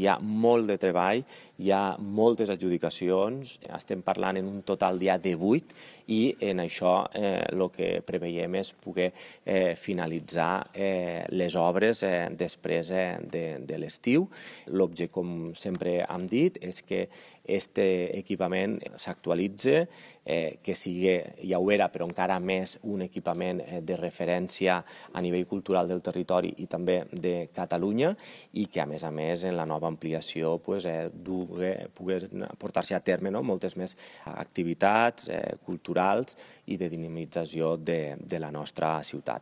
hi ha molt de treball, hi ha moltes adjudicacions, estem parlant en un total ja de 8 i en això el que preveiem és poder finalitzar les obres després de l'estiu. L'objectiu, com sempre hem dit, és que aquest equipament s'actualitzi, que sigui, ja ho era, però encara més un equipament de referència a nivell cultural del territori i també de Catalunya i que, a més, en la nova ampliació pugui portar-se a terme moltes més activitats culturals i de dinamització de la nostra ciutat.